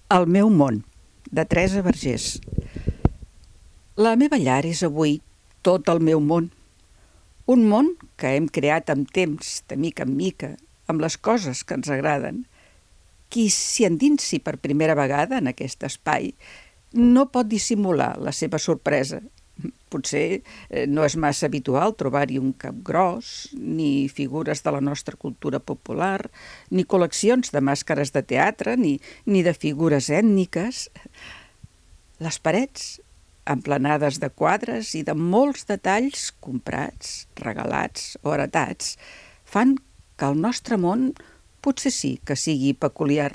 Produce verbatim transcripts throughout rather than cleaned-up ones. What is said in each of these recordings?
El meu món, de Teresa Vergés. La meva llar és avui tot el meu món. Un món que hem creat amb temps, de mica en mica, amb les coses que ens agraden. Qui s'hi endinsi per primera vegada en aquest espai no pot dissimular la seva sorpresa. Potser no és massa habitual trobar-hi un capgròs, ni figures de la nostra cultura popular, ni col·leccions de màscares de teatre, ni, ni de figures ètniques. Les parets, emplenades de quadres i de molts detalls comprats, regalats o heretats, fan que el nostre món potser sí que sigui peculiar,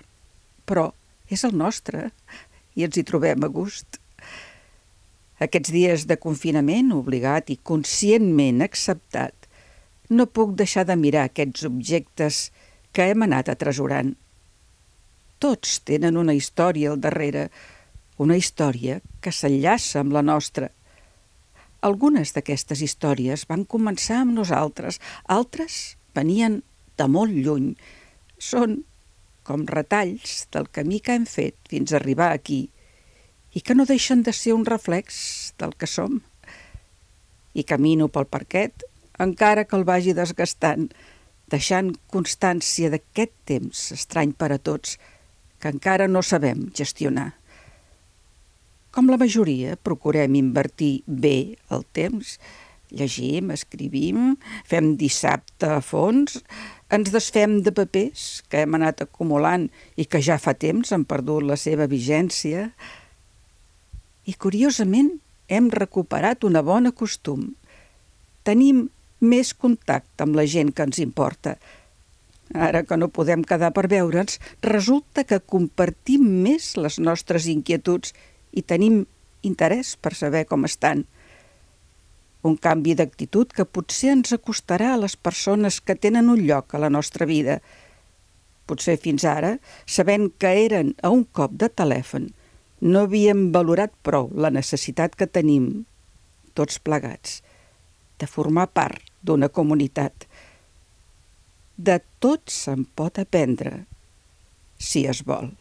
però és el nostre i ens hi trobem a gust. Aquests dies de confinament obligat i conscientment acceptat, no puc deixar de mirar aquests objectes que hem anat atresorant. Tots tenen una història al darrere, una història que s'enllaça amb la nostra. Algunes d'aquestes històries van començar amb nosaltres, altres venien de molt lluny. Són com retalls del camí que hem fet fins a arribar aquí, i que no deixen de ser un reflex del que som. I camino pel parquet, encara que el vagi desgastant, deixant constància d'aquest temps estrany per a tots, que encara no sabem gestionar. Com la majoria, procurem invertir bé el temps. Llegim, escrivim, fem dissabte a fons, ens desfem de papers que hem anat acumulant i que ja fa temps han perdut la seva vigència. I, curiosament, hem recuperat una bona costum. Tenim més contacte amb la gent que ens importa. Ara que no podem quedar per veure'ns, resulta que compartim més les nostres inquietuds i tenim interès per saber com estan. Un canvi d'actitud que potser ens acostarà a les persones que tenen un lloc a la nostra vida. Potser fins ara, sabent que eren a un cop de telèfon, no havíem valorat prou la necessitat que tenim, tots plegats, de formar part d'una comunitat. De tot se'n pot aprendre, si es vol.